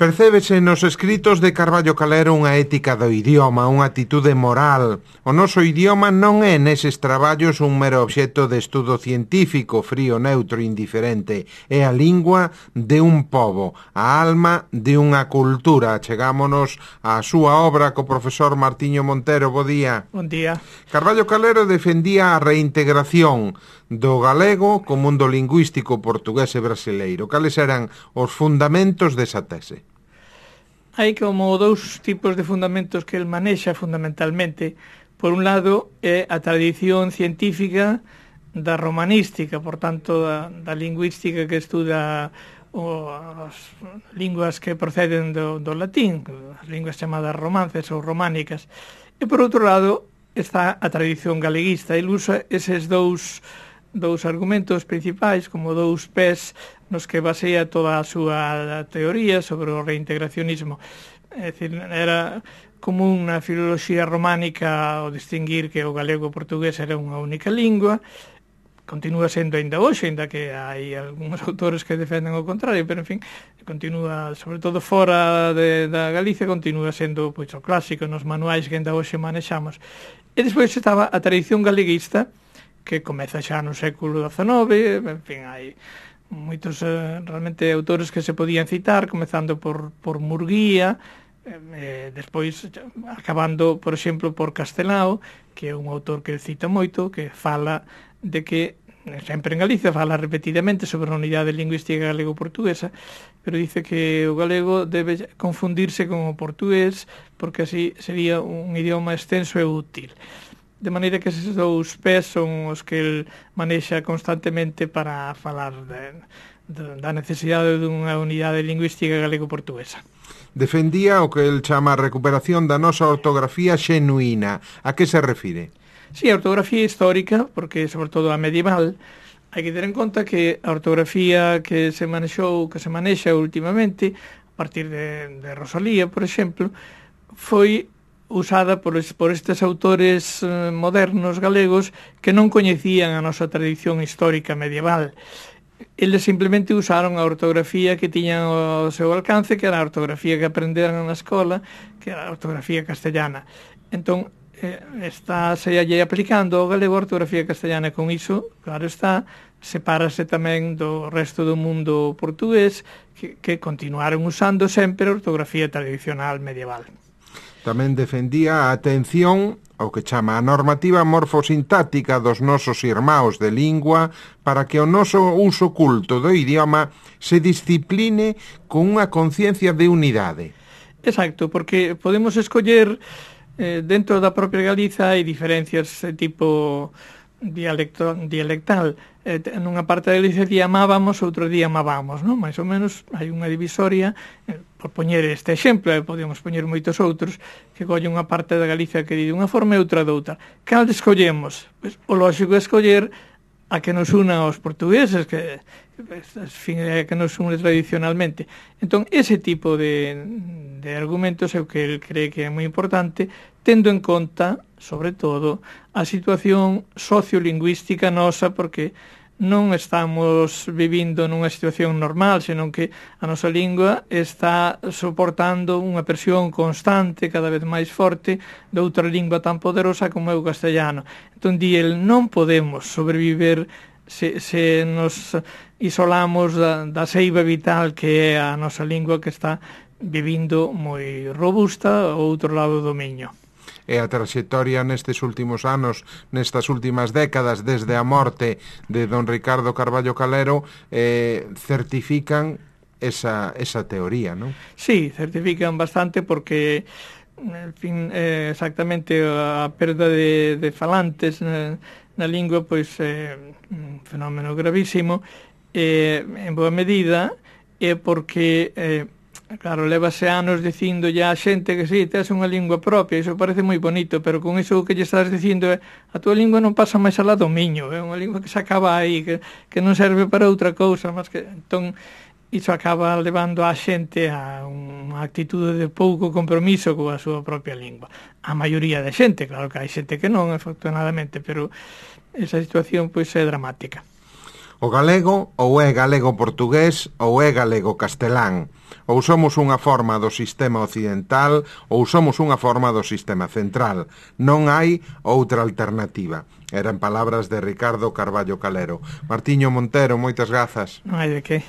Percébese nos escritos de Carballo Calero unha ética do idioma, unha actitude moral. O noso idioma non é neses traballos un mero obxecto de estudo científico, frío, neutro, indiferente. É a lingua de un pobo, a alma de unha cultura. Chegámonos á súa obra co profesor Martiño Montero. Bo día. Bon día. Carballo Calero defendía a reintegración do galego co mundo lingüístico portugués e brasileiro. Cales eran os fundamentos desa tese? Hai como dous tipos de fundamentos que el manexa fundamentalmente. Por un lado, é a tradición científica da romanística, por tanto, da lingüística que estuda as linguas que proceden do latín, as linguas chamadas romances ou románicas. E, por outro lado, está a tradición galeguista. El usa eses dous argumentos principais como dous pés nos que basea toda a súa teoría sobre o reintegracionismo. É dicir, era común na filoloxía románica o distinguir que o galego e o portugués era unha única lingua. Continúa sendo ainda hoxe, ainda que hai algúns autores que defenden o contrario, pero, en fin, continúa, sobre todo fora da Galicia, continúa sendo pois, o clásico nos manuais que ainda hoxe manexamos. E despois estaba a tradición galeguista, que comeza xa no século XIX, en fin, hai moitos realmente autores que se podían citar, comezando por Murguía, despois acabando, por exemplo, por Castelao, que é un autor que cita moito, que fala de que, sempre en Galicia, fala repetidamente sobre a unidade lingüística galego-portuguesa, pero dice que o galego debe confundirse con o portugués, porque así sería un idioma extenso e útil. De maneira que eses dous pés son os que el manexa constantemente para falar da necesidade dunha unidade lingüística galego-portuguesa. Defendía o que el chama a recuperación da nosa ortografía xenuína. A que se refire? Sí, a ortografía histórica, porque sobre todo a medieval, hai que ter en conta que a ortografía que se manexa últimamente, a partir de Rosalía, por exemplo, foi usada por estes autores modernos galegos que non coñecían a nosa tradición histórica medieval. Eles simplemente usaron a ortografía que tiñan ao seu alcance, que era a ortografía que aprenderan na escola, que era a ortografía castellana. Entón, está se lle aplicando ao galego a ortografía castellana, e con iso, claro está, sepárase tamén do resto do mundo portugués, que continuaron usando sempre a ortografía tradicional medieval. Tamén defendía a atención ao que chama a normativa morfosintáctica dos nosos irmãos de lingua para que o noso uso culto do idioma se discipline con unha conciencia de unidade. Exacto, porque podemos escoller dentro da propia Galiza hai diferencias de tipo dialectal. Nunha parte da Galicia día amábamos, outro día amábamos, non? Mais ou menos hai unha divisoria, por poñer este exemplo, podemos poñer moitos outros, que colle unha parte da Galicia que di dunha forma e outra doutra. Cal escollemos? Pois, o lógico é escoller a que nos una aos portugueses, que nos une tradicionalmente. Entón, ese tipo de argumentos é o que el cree que é moi importante, tendo en conta, sobre todo, a situación sociolingüística nosa, porque non estamos vivindo nunha situación normal, senón que a nosa lingua está soportando unha presión constante, cada vez máis forte, de outra lingua tan poderosa como é o castellano. Entón, di el, non podemos sobreviver se nos isolamos da seiva vital que é a nosa lingua, que está vivindo moi robusta ao outro lado do miño. E a traxectoria nestes últimos anos, nestas últimas décadas, desde a morte de don Ricardo Carballo Calero, certifican esa teoría, non? Sí, certifican bastante porque, en fin, exactamente a perda de falantes na lingua, pois é un fenómeno gravísimo, en boa medida, é porque claro, levase anos dicindo ya a xente que si, tes unha lingua propia, iso parece moi bonito, pero con iso que lle estás dicindo é a túa lingua non pasa máis alá do miño, é unha lingua que se acaba aí, que non serve para outra cousa, mas que entón iso acaba levando a xente a unha actitude de pouco compromiso coa súa propia lingua. A maioría de xente, claro que hai xente que non, afortunadamente, pero esa situación pois é dramática. O galego ou é galego-portugués ou é galego-castelán. Ou somos unha forma do sistema occidental ou somos unha forma do sistema central. Non hai outra alternativa. Eran palabras de Ricardo Carballo Calero. Martiño Montero, moitas grazas. Non hai de que.